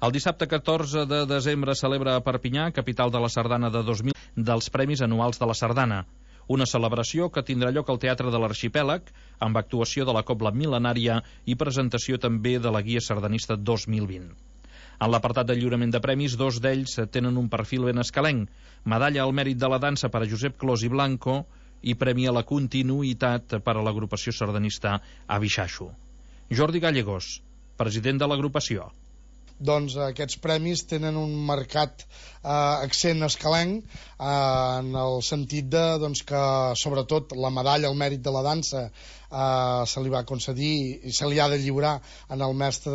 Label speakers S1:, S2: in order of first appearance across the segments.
S1: El dissabte 14 de desembre celebra a Perpinyà, capital de la Sardana de 2000, dels Premis Anuals de la Sardana. Una celebració que tindrà lloc al Teatre de l'Arxipèlag, amb actuació de la Cobla Mil·lenària i presentació també de la Guia Sardanista 2020. En l'apartat de lliurament de premis, dos d'ells tenen un perfil ben escalenc. Medalla al mèrit de la dansa per a Josep Clos i Blanco i premi a la continuïtat per a l'agrupació sardanista Abixaixo. Jordi Gallegos, president de l'agrupació.
S2: Doncs aquests premis tenen un marcat accent escalenc en el sentit de que sobretot la medalla al mèrit de la dansa se li va concedir i se li ha de lliurar en el mestre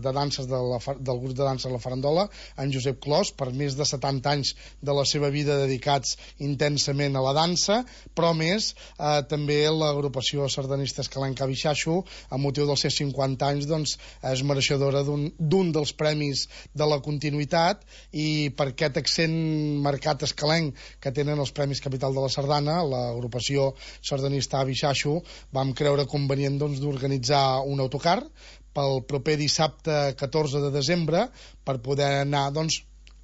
S2: de danses del grup de dansa La Farandola, en Josep Clos, per més de 70 anys de la seva vida dedicats intensament a la dansa, però més també l'agrupació sardanista escalenca Abixaixo, a motiu dels seus 50 anys, és mereixedora d'un dels premis de la continuïtat, i per aquest accent marcat escalenc que tenen els Premis Capital de la Sardana, l'agrupació sardanista Abixaixo, vam creure convenient d'organitzar un autocar pel proper dissabte 14 de desembre per poder anar a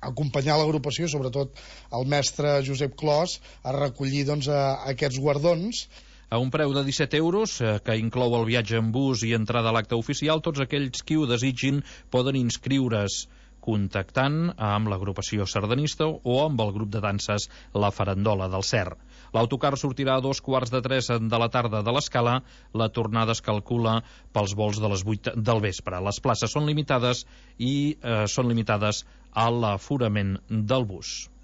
S2: acompanyar l'agrupació, sobretot el mestre Josep Clos, a recollir aquests guardons.
S1: A un preu de 17 euros, que inclou el viatge en bus i entrada a l'acte oficial, tots aquells qui ho desitgin poden inscriure's contactant amb l'agrupació sardanista o amb el grup de danses La Farandola del Cer. L'autocar sortirà a 2:15 de la tarda de l'Escala. La tornada es calcula pels vols de les 8 del vespre. Les places són limitades i són limitades a l'aforament del bus.